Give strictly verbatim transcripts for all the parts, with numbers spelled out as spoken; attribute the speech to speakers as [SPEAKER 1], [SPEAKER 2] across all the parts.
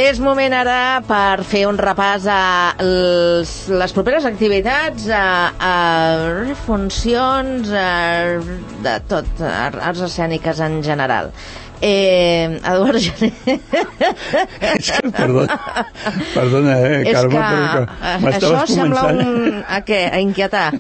[SPEAKER 1] És moment ara per fer un repàs a les, les properes activitats, a, a funcions, a, de tot, a arts escèniques en general. Eh, Eduard Gené.
[SPEAKER 2] És que, perdona, perdona eh, Carme, però que m'estaves
[SPEAKER 1] sembla
[SPEAKER 2] començant...
[SPEAKER 1] un... A què? A inquietar?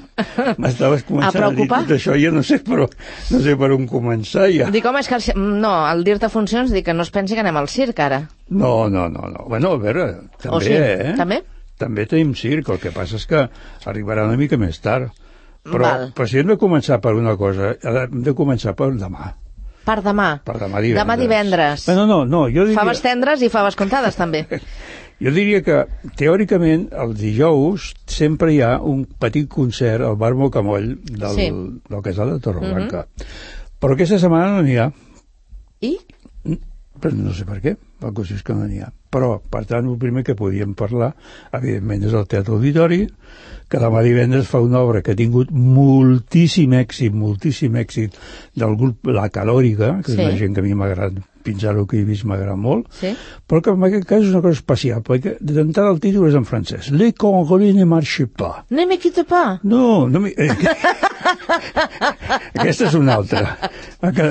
[SPEAKER 2] M'estaves començant a, a dir tot això, jo no sé, però no sé per on començar ja.
[SPEAKER 1] Dic, home, és que el, no, al dir-te funcions dic que no es pensi que anem al circ ara.
[SPEAKER 2] No, no, no, no. Bueno, a veure, també,
[SPEAKER 1] sí,
[SPEAKER 2] eh?
[SPEAKER 1] També?
[SPEAKER 2] També tenim circ, el que passa és que arribarà una mica més tard. Però,
[SPEAKER 1] Val.
[SPEAKER 2] però si hem de començar per una cosa, hem de començar per demà.
[SPEAKER 1] Per demà.
[SPEAKER 2] Per demà divendres.
[SPEAKER 1] Demà divendres.
[SPEAKER 2] No, no, no, jo diria...
[SPEAKER 1] Faves tendres i faves comptades, també.
[SPEAKER 2] Jo diria que, teòricament, el dijous sempre hi ha un petit concert al Bar Mocamoll del,
[SPEAKER 1] sí.
[SPEAKER 2] del Casal de Torreblanca.
[SPEAKER 1] Mm-hmm.
[SPEAKER 2] Però aquesta setmana no n'hi ha.
[SPEAKER 1] I?
[SPEAKER 2] Però no sé per què, la cosa és que no n'hi ha. Però, per tant, el primer que podíem parlar, evidentment, és el Teatre Auditori, que demà divendres fa una obra que ha tingut moltíssim èxit, moltíssim èxit del grup La Calòrica, que sí. És una gent que a mi m'agrada, fins ara que he vist m'agrada molt,
[SPEAKER 1] sí.
[SPEAKER 2] Però que en aquest cas és una cosa especial, perquè d'entrada el títol és en francès. Les Congolais ne marchent pas.
[SPEAKER 1] Ne me quitte pas.
[SPEAKER 2] No, no me... Aquesta és una altra.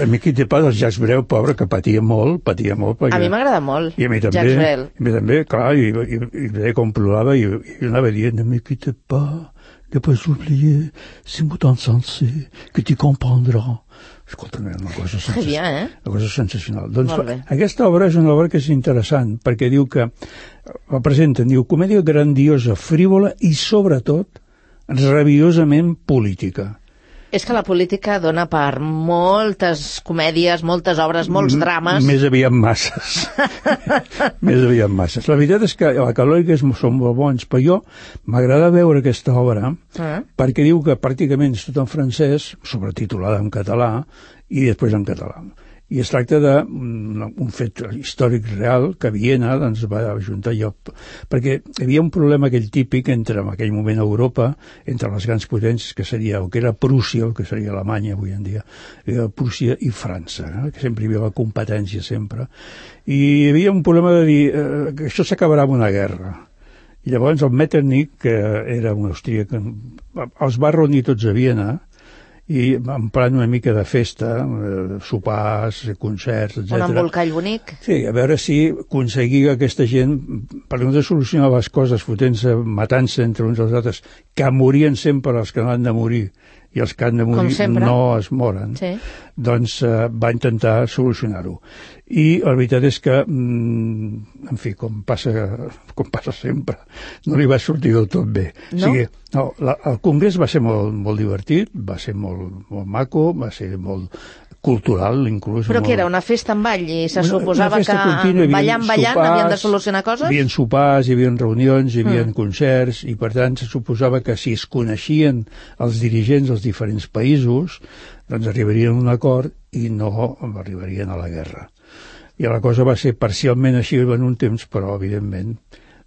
[SPEAKER 2] Me quitte pas dels Jacques Brel, pobre, que patia molt, patia molt. Perquè...
[SPEAKER 1] A mi m'agrada molt,
[SPEAKER 2] I a mi també,
[SPEAKER 1] Jacques Brel.
[SPEAKER 2] I a mi també, clar, i, i, i veia com plorava i, i anava dient, ne me quitte pas, ne pas oublier, c'est mot insensé, que tu comprendras. Escolta, una cosa sensacional.
[SPEAKER 1] Bien, eh?
[SPEAKER 2] Una cosa sensacional. Doncs aquesta obra és una obra que és interessant, perquè diu que, la presenten, diu, comèdia grandiosa, frívola i, sobretot, rabiosament política.
[SPEAKER 1] És que la política dona per moltes comèdies, moltes obres, molts drames.
[SPEAKER 2] Més aviat masses. Més aviat masses. La veritat és que La Calòrica són molt bons, però jo m'agrada veure aquesta obra ah. perquè diu que pràcticament és tot en francès, sobretitulada en català, i després en català. I es tracta d'un fet històric real que Viena doncs, va ajuntar allò, perquè hi havia un problema aquell típic entre, en aquell moment, Europa, entre les grans potències, que seria el que era Prússia, el que seria Alemanya avui en dia, Prússia i França, eh? Que sempre hi havia la competència, sempre. I hi havia un problema de dir eh, que això s'acabarà amb una guerra. I llavors el Metternich, que era un austríac, els va reunir tots a Viena, i emprant una mica de festa, eh, sopars, concerts, etcètera.
[SPEAKER 1] Un embolcall bonic.
[SPEAKER 2] Sí, a veure si aconseguia aquesta gent, per no solucionar les coses, fotent-se, matant-se entre uns i els altres, que morien sempre els que no han de morir, i els que han de morir no es moren, sí. Doncs eh, va intentar solucionar-ho. I la veritat és que, mm, en fi, com passa, com passa sempre, no li va sortir del tot bé.
[SPEAKER 1] No?
[SPEAKER 2] O sigui, no, la, el congrés va ser molt, molt divertit, va ser molt, molt maco, va ser molt cultural, inclús.
[SPEAKER 1] Però
[SPEAKER 2] molt...
[SPEAKER 1] que era una festa en ball i se suposava que
[SPEAKER 2] continua,
[SPEAKER 1] ballant, ballant sopars, havien de solucionar coses?
[SPEAKER 2] Hi havia sopars, hi havia reunions, hi havia mm. concerts, i per tant se suposava que si es coneixien els dirigents dels diferents països, doncs arribarien a un acord i no arribarien a la guerra. I la cosa va ser parcialment així en un temps, però evidentment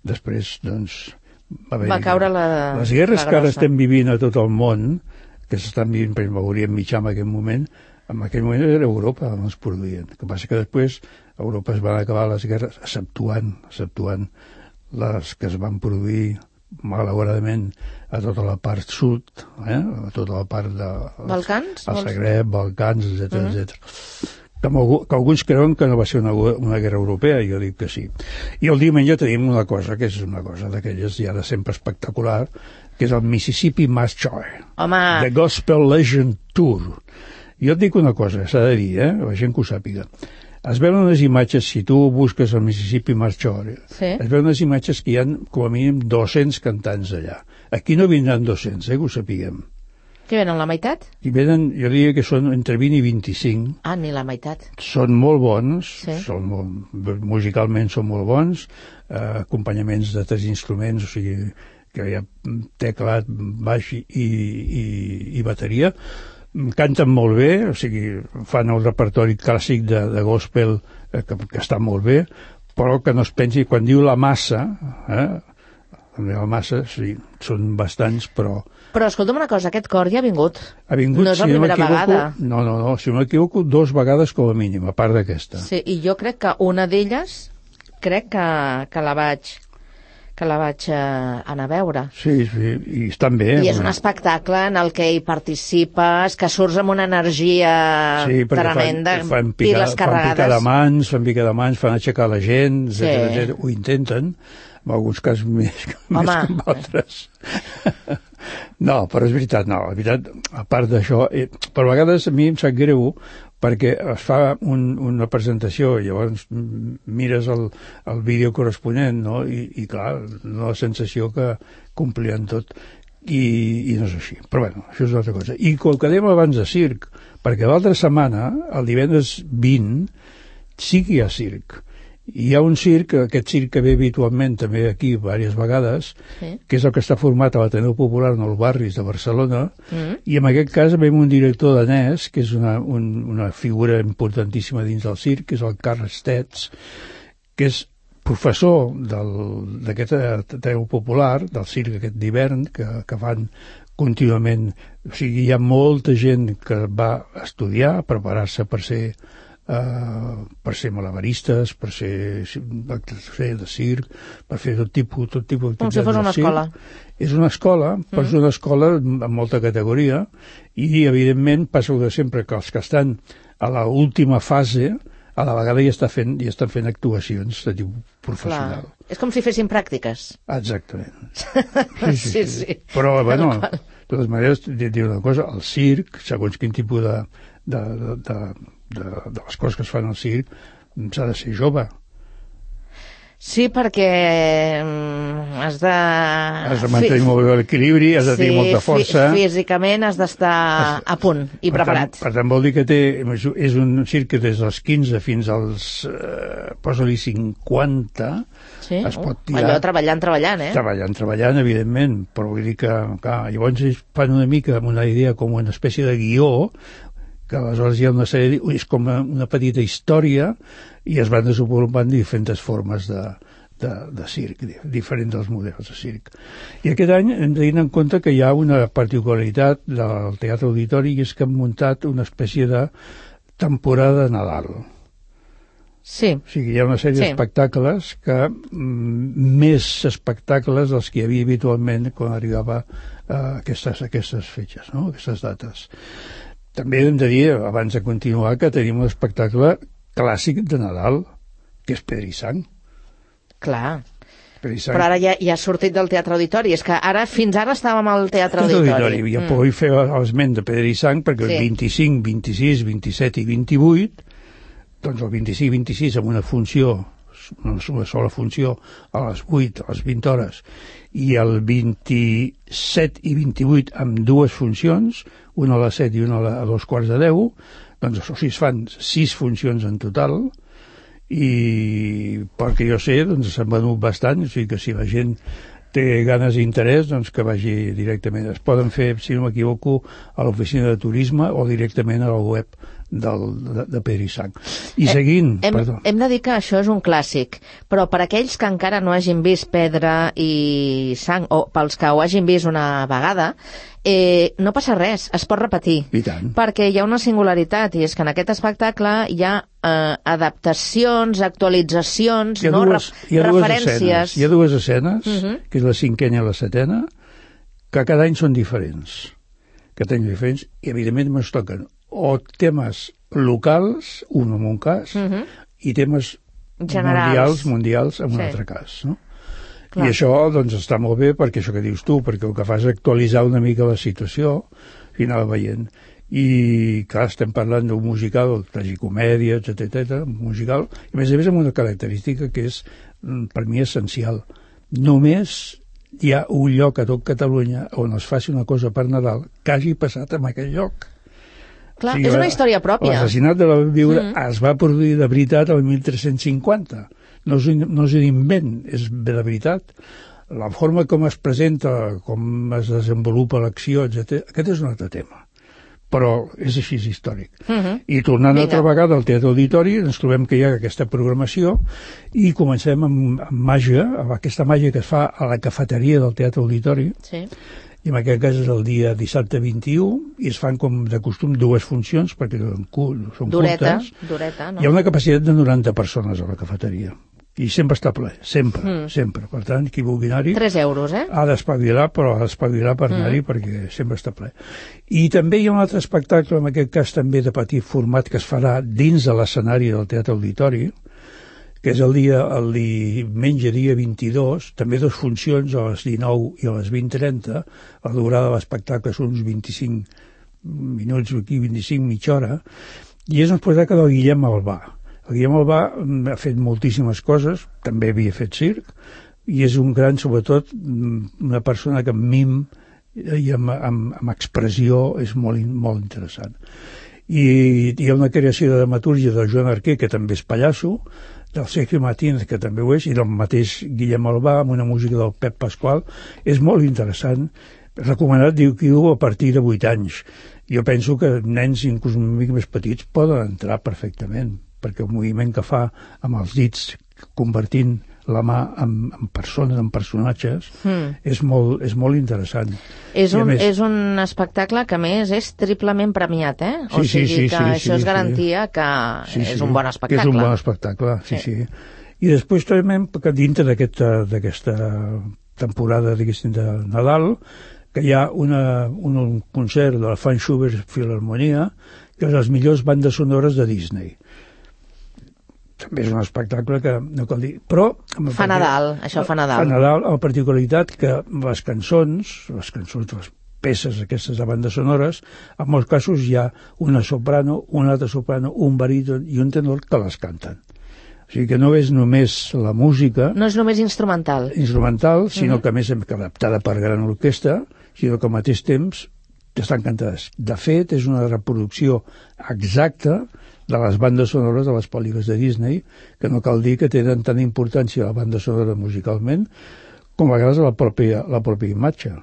[SPEAKER 2] després doncs va haver...
[SPEAKER 1] Va caure la...
[SPEAKER 2] Les guerres
[SPEAKER 1] la
[SPEAKER 2] que ara estem vivint a tot el món, que s'estan vivint per l'Orient Mitjà en aquest moment, en aquell moment era Europa on es produïen. El que passa que després a Europa es van acabar les guerres, exceptuant, exceptuant les que es van produir malauradament a tota la part sud, eh? A tota la part de...
[SPEAKER 1] Balcans?
[SPEAKER 2] El Zagreb, Balcans, etcètera, uh-huh. etcètera. Que, que alguns creuen que no va ser una, una guerra europea, jo dic que sí. I el diumenge tenim una cosa, que és una cosa d'aquelles ja de sempre espectacular, que és el Mississippi Mass Choir.
[SPEAKER 1] Home!
[SPEAKER 2] The Gospel Legend Tour. Jo et dic una cosa, s'ha de dir, eh? La gent que ho sàpiga. Es veuen unes imatges, si tu busques el Mississippi Mass Choir, sí. Es veuen unes imatges que hi ha com a mínim dos-cents cantants allà. Aquí no vindran dos-cents, eh, que ho sapiguem.
[SPEAKER 1] Què venen, la meitat?
[SPEAKER 2] I venen, jo diria que són entre vint i vint-i-cinc.
[SPEAKER 1] Ah, ni la meitat.
[SPEAKER 2] Són molt bons,
[SPEAKER 1] sí. Són
[SPEAKER 2] molt, musicalment són molt bons, eh, acompanyaments de tres instruments, o sigui, que hi ha teclat, baix i, i, i bateria. Canten molt bé, o sigui, fan el repertori clàssic de, de gospel, eh, que, que està molt bé, però que no es pensi, quan diu la massa, eh, la massa, sí, són bastants, però...
[SPEAKER 1] Però escolta'm una cosa, aquest cor ja ha vingut.
[SPEAKER 2] Ha vingut,
[SPEAKER 1] no és la
[SPEAKER 2] si
[SPEAKER 1] primera
[SPEAKER 2] no
[SPEAKER 1] vegada.
[SPEAKER 2] No, no, no, si no m'equivoco, dos vegades com a mínim, a part d'aquesta.
[SPEAKER 1] Sí, i jo crec que una d'elles crec que, que la vaig que la vaig eh, anar a veure.
[SPEAKER 2] Sí, sí, i estan bé.
[SPEAKER 1] I és un espectacle en el que hi participes, que surts amb una energia
[SPEAKER 2] sí,
[SPEAKER 1] tremenda,
[SPEAKER 2] fan, fan picar,
[SPEAKER 1] piles carregades.
[SPEAKER 2] Fan picar de mans, fan picar de mans, fan aixecar la gent,
[SPEAKER 1] sí.
[SPEAKER 2] etcètera, etcètera. Ho intenten, en alguns casos més, més que en altres. No, però és veritat, no, la veritat, a part d'això, eh, per vegades a mi em sap greu perquè es fa un, una presentació i llavors mires el, el vídeo corresponent, no? I, i clar, no la sensació que complien tot i, i no és així. Però bueno, això és una altra cosa. I com que dèiem abans de circ, perquè l'altra setmana, el divendres vint, sí que hi ha circ. Hi ha un circ, aquest circ que ve habitualment també aquí diverses vegades, sí. que és el que està format a l'Ateneu Popular en els barris de Barcelona, mm. i en aquest cas veiem un director danès, que és una, un, una figura importantíssima dins del circ, que és el Karl Stets, que és professor d'aquest Ateneu Popular, del circ aquest d'hivern, que, que fan contínuament. O sigui, hi ha molta gent que va estudiar, preparar-se per ser Uh, per ser malabaristes, per ser, ser de circ, per fer tot tipus, tot tipus
[SPEAKER 1] com si fos una escola.
[SPEAKER 2] És una escola, però és una escola amb molta categoria i, evidentment, passa de sempre que els que estan a l'última fase a la vegada ja, està fent, ja estan fent actuacions de tipus professional.
[SPEAKER 1] Clar. És com si fessin pràctiques.
[SPEAKER 2] Exactament. Sí, sí, sí.
[SPEAKER 1] sí, sí.
[SPEAKER 2] Però, bueno, de totes maneres, dir una cosa, el circ, segons quin tipus de, de, de, de De, de les coses que es fan al circ, s'ha de ser jove.
[SPEAKER 1] Sí, perquè has de...
[SPEAKER 2] Has de mantenir molt bé l'equilibri, has de sí, tenir molta força.
[SPEAKER 1] Físicament has d'estar has... a punt i
[SPEAKER 2] per
[SPEAKER 1] preparat.
[SPEAKER 2] Tant, per tant, vol dir que té, és un circ que des dels quinze fins als, eh, posa-li cinquanta,
[SPEAKER 1] sí?
[SPEAKER 2] es pot tirar...
[SPEAKER 1] Allò treballant, treballant, eh?
[SPEAKER 2] Treballant, treballant, evidentment, però vull dir que, clar, llavors ells fan una mica amb una idea com una espècie de guió, que aleshores hi ha una sèrie, és com una petita història i es van desenvolupant diferents formes de, de, de circ, diferents dels models de circ. I aquest any hem de tenir en compte que hi ha una particularitat del Teatre Auditori i és que han muntat una espècie de temporada de Nadal.
[SPEAKER 1] Sí.
[SPEAKER 2] O sigui, hi ha una sèrie sí. d'espectacles que mm, més espectacles dels que hi havia habitualment quan arribava a aquestes, aquestes fetges, no? Aquestes dates. També hem de dir, abans de continuar, que tenim un espectacle clàssic de Nadal, que és Pedra i Sang.
[SPEAKER 1] Clar. Sang. Però ara ja, ja ha sortit del Teatre Auditori. És que ara, fins ara estàvem al Teatre Auditori. auditori.
[SPEAKER 2] Ja mm. puc fer l'esment de Pedra i Sang, perquè sí. el vint-i-cinc, vint-i-sis, vint-i-set i vint-i-vuit, doncs el vint-i-cinc, vint-i-sis amb una funció, una sola funció, a les vuit, a les vint hores, i el vint-i-set i vint-i-vuit amb dues funcions, una a les set i una a dos quarts de deu, doncs o sigui, es fan sis funcions en total, i perquè jo sé, doncs s'han venut bastant, o sigui que si la gent té ganes i interès, doncs que vagi directament. Es poden fer, si no m'equivoco, a l'oficina de turisme o directament a la web del, de, de Pedra i Sang. I eh, seguint...
[SPEAKER 1] Hem,
[SPEAKER 2] perdó.
[SPEAKER 1] hem de dir que això és un clàssic, però per aquells que encara no hagin vist Pedra i Sang, o pels que ho hagin vist una vegada, eh, no passa res, es pot repetir.
[SPEAKER 2] I tant.
[SPEAKER 1] Perquè hi ha una singularitat, i és que en aquest espectacle hi ha eh, adaptacions, actualitzacions,
[SPEAKER 2] hi ha
[SPEAKER 1] no?
[SPEAKER 2] dues, hi ha
[SPEAKER 1] referències.
[SPEAKER 2] Escenes, hi ha dues escenes, uh -huh. que és la cinquena i la setena, que cada any són diferents. Cada any diferents, i evidentment ens toquen o temes locals, un en un cas, uh -huh. i temes
[SPEAKER 1] generals,
[SPEAKER 2] mundials, mundials en un sí. altre cas, no? Clar. I això, doncs, està molt bé, perquè això que dius tu, perquè el que fa és actualitzar una mica la situació, i anar veient. I, clar, estem parlant d'un musical, tragicomèdia, etcètera, musical, i a més a més amb una característica que és, per mi, essencial. Només hi ha un lloc a tot Catalunya on es faci una cosa per Nadal que hagi passat en aquell lloc.
[SPEAKER 1] Clar, o sigui, és una història pròpia.
[SPEAKER 2] L'assassinat de la Viure mm. es va produir de veritat el mil tres-cents cinquanta. No és, no és un invent, és de veritat. La forma com es presenta, com es desenvolupa l'acció, etcètera, aquest és un altre tema. Però és així, és històric. Mm-hmm. I tornant Vinga. altra vegada al Teatre Auditori, ens trobem que hi ha aquesta programació i comencem amb, amb màgia, amb aquesta màgia que es fa a la cafeteria del Teatre Auditori,
[SPEAKER 1] sí.
[SPEAKER 2] i en aquest cas és el dia dissabte vint-i-u, i es fan com de costum dues funcions, perquè són, són
[SPEAKER 1] dureta,
[SPEAKER 2] curtes.
[SPEAKER 1] Dureta, no?
[SPEAKER 2] Hi ha una capacitat de noranta persones a la cafeteria. i sempre està ple, sempre, mm. sempre. Per tant, qui vulgui anar-hi...
[SPEAKER 1] tres euros, eh?
[SPEAKER 2] Ha d'espavilar, però ha d'espavilar per anar-hi mm. perquè sempre està ple. I també hi ha un altre espectacle, en aquest cas també de petit format, que es farà dins de l'escenari del Teatre Auditori, que és el dia, el diumenge dia vint-i-dos, també dues funcions, a les dinou i a les vint trenta, la durada de l'espectacle són uns vint-i-cinc minuts, aquí vint-i-cinc, mitja hora, i és un espectacle del Guillem Albà. El Guillem Albà ha fet moltíssimes coses, també havia fet circ, i és un gran, sobretot, una persona que amb mim i amb, amb, amb expressió és molt, molt interessant. I hi ha una creació de dramatúrgia del Joan Arquer, que també és pallasso, del Sergio Martínez, que també ho és, i del mateix Guillem Albà, amb una música del Pep Pasqual. És molt interessant. Recomanat, diu que diu, a partir de vuit anys. Jo penso que nens, inclús una mica més petits, poden entrar perfectament, perquè el moviment que fa amb els dits, convertint la mà en, en persones, en personatges, mm. és, molt, és molt interessant.
[SPEAKER 1] És un, més... és un espectacle que, a més, és triplement premiat, eh?
[SPEAKER 2] Sí,
[SPEAKER 1] o sigui
[SPEAKER 2] sí, sí,
[SPEAKER 1] que
[SPEAKER 2] sí,
[SPEAKER 1] això
[SPEAKER 2] sí,
[SPEAKER 1] és garantia
[SPEAKER 2] sí.
[SPEAKER 1] que
[SPEAKER 2] sí,
[SPEAKER 1] és
[SPEAKER 2] sí,
[SPEAKER 1] un bon espectacle.
[SPEAKER 2] Que és un bon espectacle, sí, sí. sí. I després també, dintre d'aquesta temporada de Nadal, que hi ha una, un, un concert de la Franz Schubert Filharmonia, que és les millors bandes sonores de Disney. També és un espectacle que no cal dir. Però...
[SPEAKER 1] Fa Nadal, això fa Nadal.
[SPEAKER 2] Fa Nadal, amb la particularitat que les cançons, les cançons, les peces aquestes de bandes sonores, en molts casos hi ha una soprano, una altra soprano, un baríton i un tenor que les canten. O sigui que no és només la música...
[SPEAKER 1] No és només instrumental.
[SPEAKER 2] Instrumental, sinó mm-hmm. que a més és adaptada per gran orquestra, sinó que al mateix temps estan cantades. De fet, és una reproducció exacta de les bandes sonores de les pel·lícules de Disney, que no cal dir que tenen tant importància la banda sonora musicalment com a vegades la pròpia, la pròpia imatge.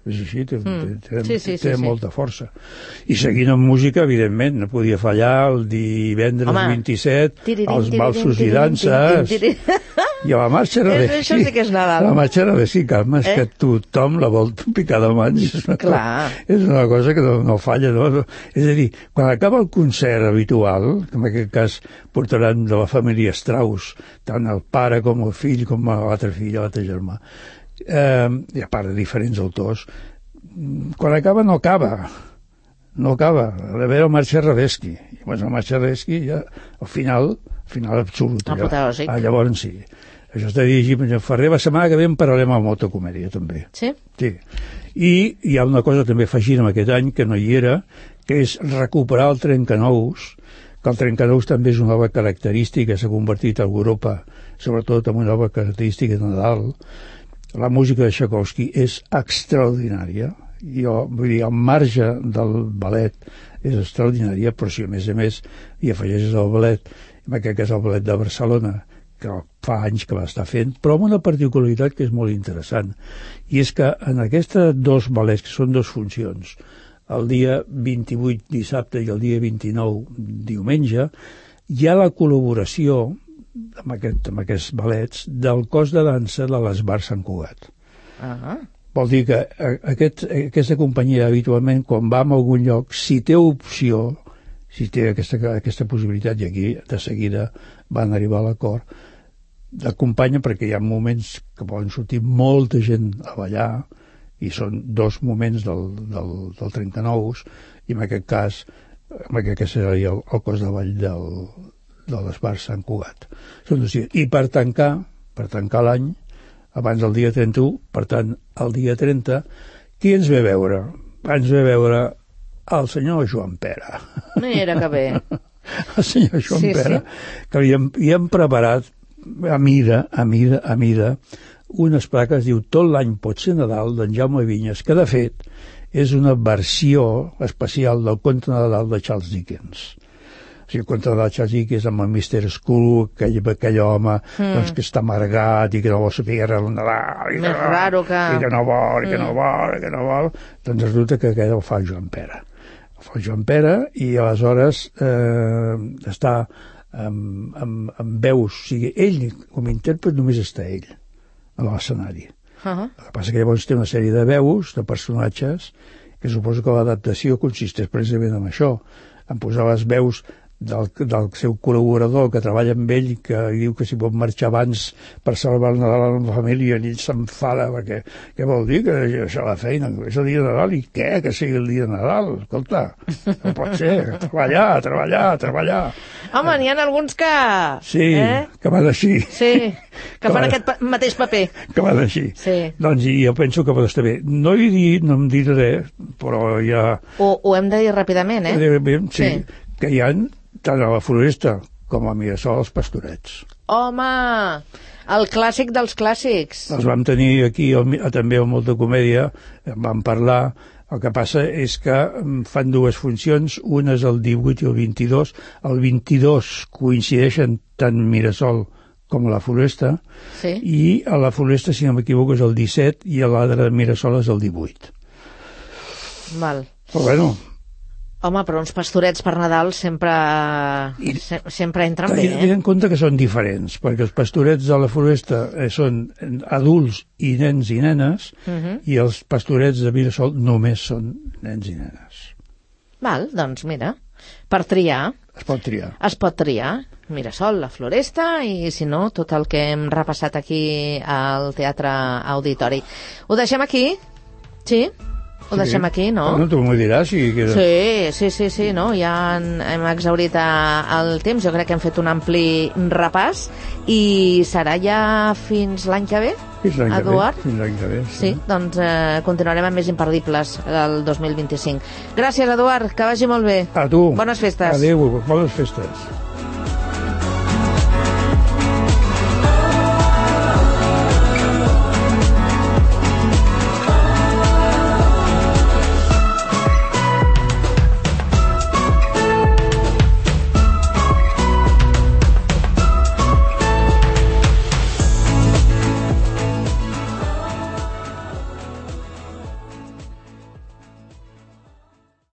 [SPEAKER 2] És així, té, mm. té, té, sí, sí, té sí, molta sí. força. I seguint amb música, evidentment, no podia fallar el divendres Home. vint-i-set, tiririn, els valsos i danses, i a la marxa Radetzky.
[SPEAKER 1] Això sí que és Nadal.
[SPEAKER 2] La marxa Radetzky, calma, és eh? que tothom la vol picar de mans. És una,
[SPEAKER 1] Clar.
[SPEAKER 2] Cosa, és una cosa que no, no falla. No? És a dir, quan acaba el concert habitual, que en aquest cas portaran de la família Strauss, tant el pare com el fill, com l'altre fill, l'altre germà, Eh, i a part de diferents autors, quan acaba no acaba no acaba, ha d'haver el marxa Radetzky i llavors el marxa Radetzky ja al final, al final absolut
[SPEAKER 1] ja,
[SPEAKER 2] ah, llavors sí, això està dirigit per Ferrer. La setmana que ve en parlarem amb molta comèdia també.
[SPEAKER 1] Sí?
[SPEAKER 2] Sí. I hi ha una cosa també afegint aquest any que no hi era, que és recuperar el trencanous, que el trencanous també és una nova característica, s'ha convertit a Europa sobretot en una nova característica de Nadal. La música de Tchaikovsky és extraordinària. Jo, vull dir, al marge del ballet és extraordinària, però si a més a més hi afegeixes el ballet, en aquest cas el ballet de Barcelona, que fa anys que l'està fent, però amb una particularitat que és molt interessant, i és que en aquests dos ballets, que són dues funcions, el dia vint-i-vuit dissabte i el dia vint-i-nou diumenge, hi ha la col·laboració amb, aquest, amb aquests ballets del cos de dansa de l'Esbar Sant Cugat.
[SPEAKER 1] Uh-huh.
[SPEAKER 2] Vol dir que aquest, aquesta companyia habitualment quan va a algun lloc, si té opció, si té aquesta, aquesta possibilitat, i aquí de seguida van arribar a l'acord, l'acompanya perquè hi ha moments que poden sortir molta gent a ballar i són dos moments del, del, del trencanous, i en aquest cas en aquest cas seria el, el cos de ball del de l'Esbar Sant Cugat. I per tancar, per tancar l'any, abans del dia trenta-u, per tant, el dia trenta, qui ens ve a veure? Ens ve a veure el senyor Joan Pera.
[SPEAKER 1] Mira que bé.
[SPEAKER 2] El senyor Joan sí, Pera, sí. que li hem, li hem preparat a mida, a mida, a mida, un espectacle que es diu Tot l'any pot ser Nadal, d'en Jaume Vinyes, que de fet és una versió especial del conte Nadal de Charles Dickens. O sigui, el conte de Charles Dickens amb el mister Scrooge, aquell, aquell home mm. doncs, que està amargat i que no vol saber res del Nadal, i,
[SPEAKER 1] més
[SPEAKER 2] que,
[SPEAKER 1] raro que...
[SPEAKER 2] i que no vol, i que mm. no vol, i que no vol, doncs resulta que aquest el fa el Joan Pera. El fa el Joan Pera i aleshores eh, està amb, amb, amb veus, o sigui, ell com a intèrpret només està ell a l'escenari. Uh-huh. El que passa que llavors té una sèrie de veus, de personatges, que suposo que l'adaptació consisteix precisament en això, en posar les veus del, del seu col·laborador que treballa amb ell, que diu que si pot marxar abans per salvar el Nadal amb la família, i ell s'enfada, perquè què vol dir que això la feina, és el dia de Nadal, i què, que sigui el dia de Nadal? Escolta, no pot ser, treballar, treballar, treballar.
[SPEAKER 1] Home, n'hi ha alguns que...
[SPEAKER 2] Sí,
[SPEAKER 1] eh?
[SPEAKER 2] que van així.
[SPEAKER 1] Sí, que, que fan aquest pa mateix paper.
[SPEAKER 2] Que van així.
[SPEAKER 1] Sí.
[SPEAKER 2] Doncs jo penso que pot estar bé. No hi dit, no em diré res, però ja...
[SPEAKER 1] Ho, ho hem de dir ràpidament, eh?
[SPEAKER 2] Sí, sí,
[SPEAKER 1] sí.
[SPEAKER 2] que hi ha tant a la Floresta com a Mirasol els Pastorets.
[SPEAKER 1] Home, el clàssic dels clàssics.
[SPEAKER 2] Els vam tenir aquí el, també al Molt de Comèdia, en vam parlar. El que passa és que fan dues funcions, una és el divuit i el vint-i-dos. El vint-i-dos coincideixen tant Mirasol com a la Floresta,
[SPEAKER 1] sí.
[SPEAKER 2] I a la Floresta, si no m'equivoco, és el disset i a l'altre de Mirasol és el divuit.
[SPEAKER 1] Val.
[SPEAKER 2] Però bueno...
[SPEAKER 1] Home, però uns pastorets per Nadal sempre, I, se, sempre entren bé, eh?
[SPEAKER 2] Tenint en compte que són diferents, perquè els pastorets de la Floresta eh, són adults i nens i nenes, uh -huh. i els pastorets de Mirasol només són nens i nenes.
[SPEAKER 1] Val, doncs mira, per triar.
[SPEAKER 2] Es pot triar.
[SPEAKER 1] Es pot triar. Mirasol, la Floresta, i si no, tot el que hem repassat aquí al Teatre Auditori. Ho deixem aquí? Sí? Ho sí. deixem aquí, no?
[SPEAKER 2] No, tu m'ho diràs si queda...
[SPEAKER 1] Sí, sí, sí, sí, no? Ja hem exhaurit el temps, jo crec que hem fet un ampli repàs i serà ja fins l'any que ve,
[SPEAKER 2] fins l'any
[SPEAKER 1] Eduard?
[SPEAKER 2] Que ve, fins l'any que ve, sí.
[SPEAKER 1] Sí, doncs eh, continuarem amb més imperdibles el dos mil vint-i-cinc. Gràcies, Eduard, que vagi molt bé.
[SPEAKER 2] A tu.
[SPEAKER 1] Bones festes.
[SPEAKER 2] Adéu, bones festes.